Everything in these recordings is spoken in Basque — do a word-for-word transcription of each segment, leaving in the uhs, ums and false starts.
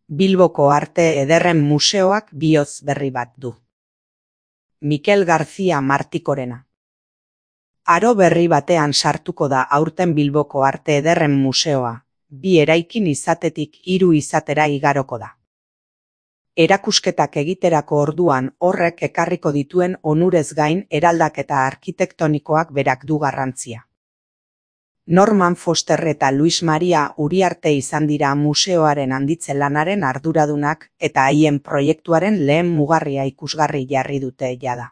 Bilboko Arte Ederren Museoak bihotz berri bat du. Mikel García Martikorena. Aro berri batean sartuko da aurten Bilboko Arte Ederren Museoa, bi eraikin izatetik hiru izatera igaroko da. Erakusketak egiterako orduan horrek ekarriko dituen onurez gain eraldaketa arkitektonikoak berak du garrantzia. Norman Foster eta Luis Maria Uriarte izan dira museoaren handitze lanaren arduradunak eta haien proiektuaren lehen mugarria ikusgarri jarri dute jada.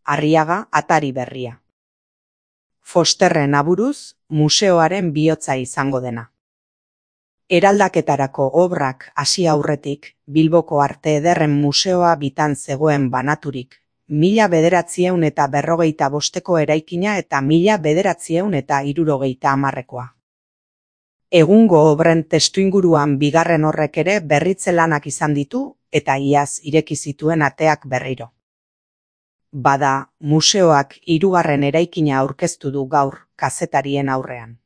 Arriaga atari berria. Fosterren aburuz, museoaren bihotza izango dena. Eraldaketarako obrak hasi aurretik, Bilboko Arte Ederren Museoa bitan zegoen banaturik, mila bederatziehun eta berrogeita bosteko eraikina eta mila bederatziehun eta hirurogeita hamarrekoa. Egungo obren testuinguruan bigarren horrek ere berritze lanak izan ditu eta iaz ireki zituen ateak berriro. Bada, museoak hirugarren eraikina aurkeztu du gaur kazetarien aurrean.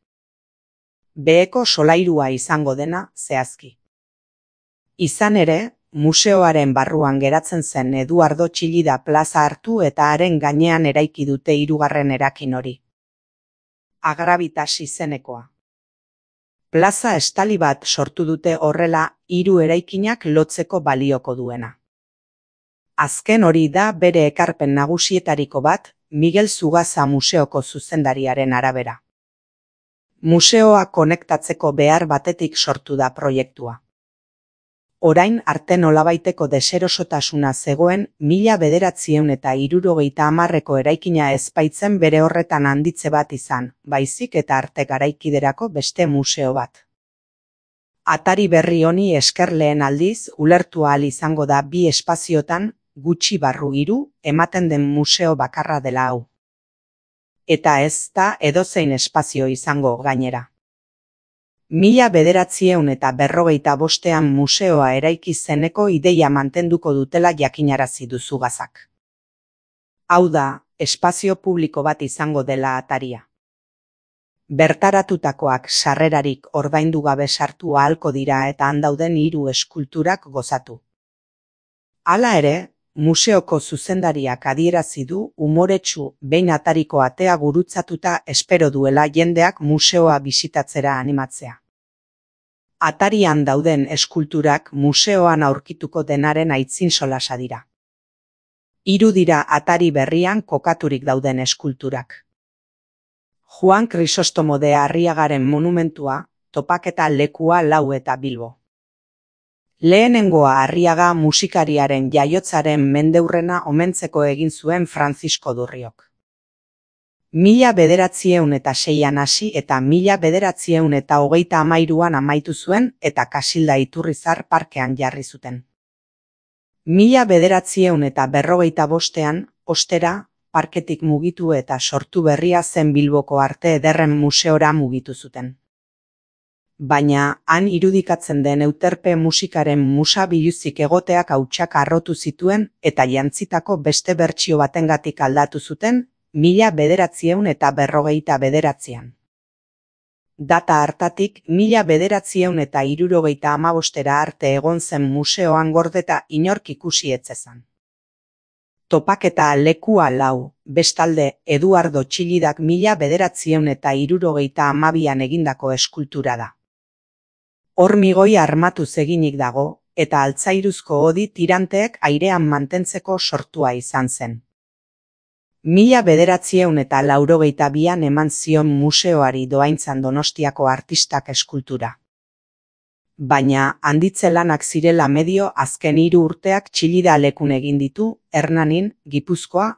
Beheko solairua izango dena zehazki. Izan ere, museoaren barruan geratzen zen Eduardo Txillida plaza hartu eta haren gainean eraiki dute hirugarren erakin hori. Agravitas izenekoa. Plaza estali bat sortu dute horrela hiru eraikinak lotzeko balioko duena. Azken hori da bere ekarpen nagusietariko bat, Miguel Zugaza museoko zuzendariaren arabera. Museoa konektatzeko behar batetik sortu da proiektua. Orain arte nolabaiteko deserosotasuna zegoen mila bederatziehun eta hirurogeita hamarreko eraikina ezbaitzen bere horretan handitze bat izan, baizik eta arte garaikiderako beste museo bat. Atari berri honi esker lehen aldiz ulertu ahal izango da bi espaziotan, gutxi barru hiru, ematen den museo bakarra dela hau. Eta ez da edozein espazio izango gainera. Mila bederatziehun eta berrogeita bostean museoa eraiki zeneko ideia mantenduko dutela jakinarazi du Zugazak. Hau da, espazio publiko bat izango dela ataria. Bertaratutakoak sarrerarik ordaindu gabe sartu ahalko dira eta han dauden hiru eskulturak gozatu. Hala ere, museoko zuzendariak adierazi du umoretsu behin atariko atea gurutzatuta espero duela jendeak museoa bisitatzera animatzea. Atarian dauden eskulturak museoan aurkituko denaren aitzin solasa dira. Hiru dira atari berrian kokaturik dauden eskulturak. Juan Crisostomo de Arriagaren monumentua, topaketa lekua lau eta Bilbo. Lehenengoa Arriaga musikariaren jaiotzaren mendeurrena omentzeko egin zuen Francisco Durriok. Mila bederatziehun eta seian hasi eta mila bederatziehun eta hogeita hamairuan amaitu zuen eta Kasilda Iturrizar parkean jarri zuten. Mila bederatziehun eta berrogeita bostean, ostera, parketik mugitu eta sortu berria zen Bilboko Arte Ederren Museora mugitu zuten. Baina, han irudikatzen den euterpe musikaren musa biluzik egoteak hautsak harrotu zituen eta jantzitako beste bertsio batengatik aldatu zuten, mila bederatziehun eta berrogeita bederatzian. Data hartatik, mila bederatziehun eta hirurogeita hamabostera arte egon zen museoan gordeta inork ikusi etzezan. Topaketa lekua lau, bestalde Eduardo Txillidak mila bederatziehun eta hirurogeita hamabian egindako eskultura da. Hormigoi armatuz eginik dago, eta altzairuzko hodi tiranteek airean mantentzeko sortua izan zen. Mila bederatziehun eta laurogeita bian eman zion museoari doaintzan Donostiako artistak eskultura. Baina, handitze lanak zirela medio azken hiru urteak Txillida lekun egin ditu, Hernanin, Gipuzkoa.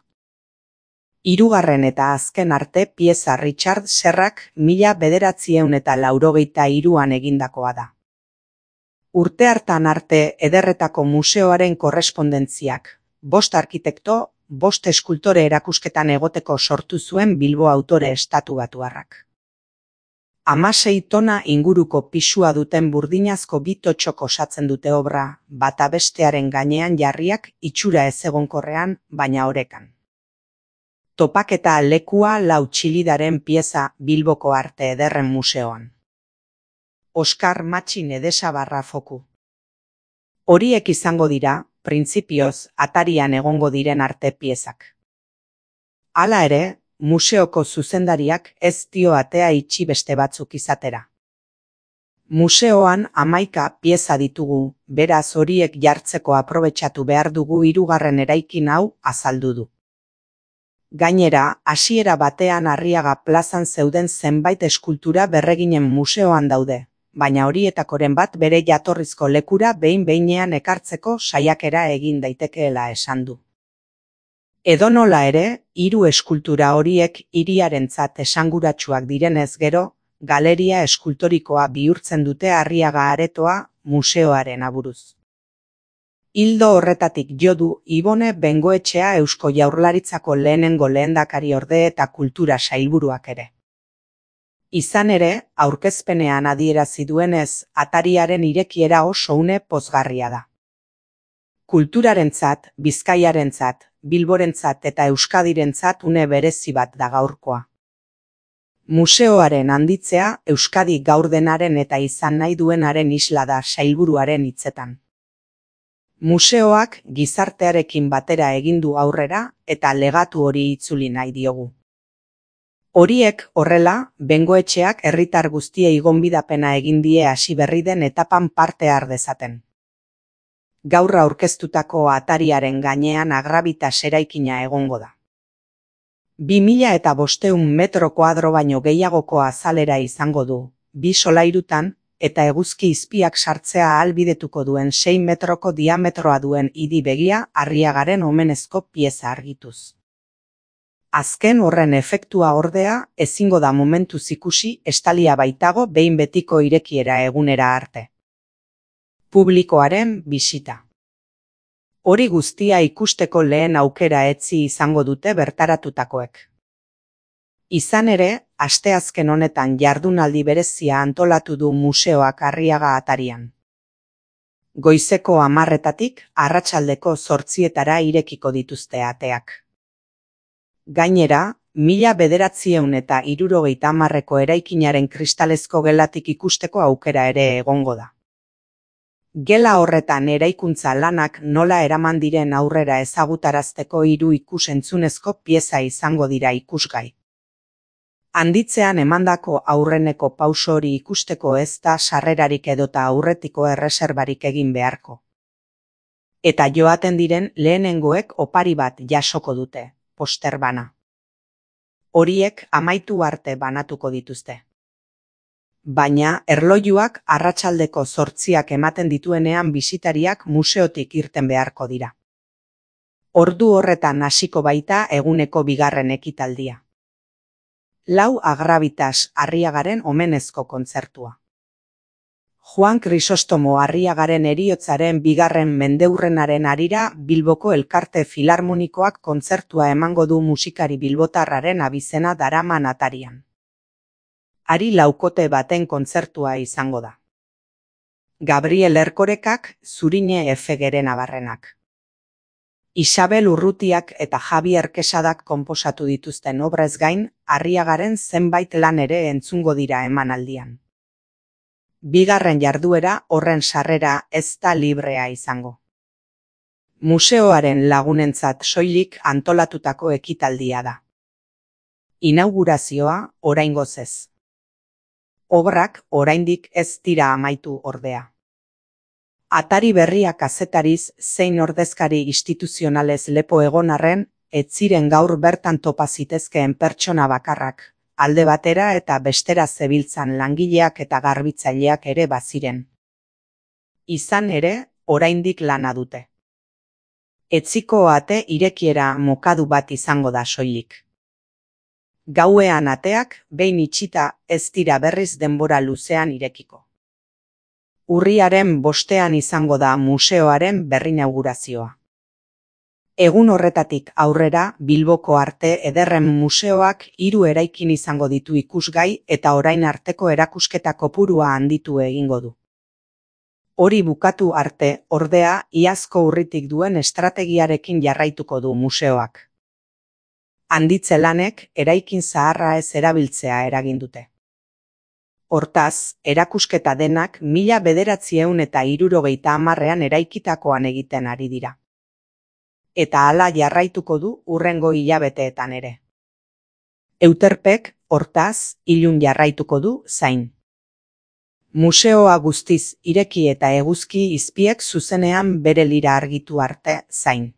Hirugarren eta azken arte pieza Richard Serrak mila bederatziehun eta laurogeita hiruan egindakoa da. Urte hartan arte ederretako museoaren korrespondentziak, bost arkitekto, bost eskultore erakusketan egoteko sortu zuen Bilbo autore estatubatuarrak. Hamasei tona inguruko pisua duten burdinazko bi totxok osatzen dute obra, bata bestearen gainean jarriak itxura ezegonkorrean, baina orekan. Topaketa lekua lau Txillidaren pieza Bilboko Arte Ederren Museoan. Oskar Matxin Edesabarra foku. Horiek izango dira, printzipioz, atarian egongo diren arte piezak. Hala ere, museoko zuzendariak ez dio atea itxi beste batzuk izatera. Museoan hamaika pieza ditugu, beraz horiek jartzeko aprobetxatu behar dugu hirugarren eraikin hau azaldu du. Gainera, hasiera batean Arriaga plazan zeuden zenbait eskultura berreginen museoan daude, baina horietakoren bat bere jatorrizko lekura behin-behinean ekartzeko saiakera egin daitekeela esan du. Edonola ere, hiru eskultura horiek hiriarentzat esanguratsuak direnez gero, galeria eskultorikoa bihurtzen dute Arriaga aretoa museoaren aburuz. Ildo horretatik jo du Ibone Bengoetxea Eusko Jaurlaritzako lehenengo lehendakariorde eta kultura sailburuak ere. Izan ere, aurkezpenean adierazi duenez, atariaren irekiera oso une pozgarria da. Kulturarentzat, Bizkaiarentzat, Bilborentzat eta Euskadirentzat une berezi bat da gaurkoa. Museoaren handitzea Euskadi gaur denaren eta izan nahi duenaren isla da sailburuaren hitzetan. Museoak gizartearekin batera egin du aurrera eta legatu hori itzuli nahi diogu. Horiek horrela, Bengoetxeak herritar guztiei gonbidapena egin die hasi berri den etapan parte har dezaten. Gaur aurkeztutako atariaren gainean Agravitas eraikina egongo da. Bi mila eta bostehun metro koadro baino gehiagoko azalera izango du, bi solairutan, eta eguzki izpiak sartzea ahalbidetuko duen sei metroko diametroa duen idi begia Arriagaren omenezko pieza argituz. Azken horren efektua ordea, ezingo da momentuz ikusi estalia baitago behin betiko irekiera egunera arte. Publikoaren bisita. Hori guztia ikusteko lehen aukera etzi izango dute bertaratutakoek. Izan ere, asteazken honetan jardunaldi berezia antolatu du museoak Arriaga atarian. Goizeko hamarretatik arratsaldeko zortzietara irekiko dituzte ateak. Gainera, mila bederatziehun eta hirurogeita hamarreko eraikinaren kristalezko gelatik ikusteko aukera ere egongo da. Gela horretan eraikuntza lanak nola eraman diren aurrera ezagutarazteko hiru ikus-entzunezko pieza izango dira ikusgai. Handitzean emandako aurreneko pauso hori ikusteko ez da sarrerarik edota aurretiko erreserbarik egin beharko. Eta joaten diren lehenengoek opari bat jasoko dute, poster bana. Horiek amaitu arte banatuko dituzte. Baina erlojuak arratsaldeko zortziak ematen dituenean bisitariak museotik irten beharko dira. Ordu horretan hasiko baita eguneko bigarren ekitaldia. Lau Agravitas Arriagaren omenezko kontzertua. Juan Krisostomo Arriagaren heriotzaren bigarren mendeurrenaren harira Bilboko Elkarte Filarmonikoak kontzertua emango du musikari bilbotarraren abizena daraman atarian. Ari laukote baten kontzertua izango da. Gabriel Erkorekak, Zurine Efegeren abarrenak. Isabel Urrutiak eta Javier Kesadak konposatu dituzten obrez gain, Arriagaren zenbait lan ere entzungo dira emanaldian. Bigarren jarduera horren sarrera ez da librea izango. Museoaren lagunentzat soilik antolatutako ekitaldia da. Inaugurazioa oraingoz ez. Obrak oraindik ez dira amaitu ordea. Atari berria kazetariz zein ordezkari instituzionalez lepo egon arren, ez ziren gaur bertan topa zitezkeen pertsona bakarrak, alde batera eta bestera zebiltzan langileak eta garbitzaileak ere baziren. Izan ere, oraindik lana dute. Etziko ate irekiera mokadu bat izango da soilik. Gauean ateak, behin itxita, ez dira berriz denbora luzean irekiko. Urriaren bostean izango da museoaren berrinaugurazioa. Egun horretatik aurrera, Bilboko Arte Ederren Museoak hiru eraikin izango ditu ikusgai eta orain arteko erakusketa kopurua handitu egingo du. Hori bukatu arte, ordea, iazko urritik duen estrategiarekin jarraituko du museoak. Handitze lanek eraikin zaharra ez erabiltzea eragin dute. Hortaz, erakusketa denak mila bederatziehun eta hirurogeita hamarrean eraikitakoan egiten ari dira. Eta hala jarraituko du hurrengo hilabeteetan ere. Euterpek, hortaz, ilun jarraituko du zain. Museoa guztiz ireki eta eguzki izpiek zuzenean bere lira argitu arte zain.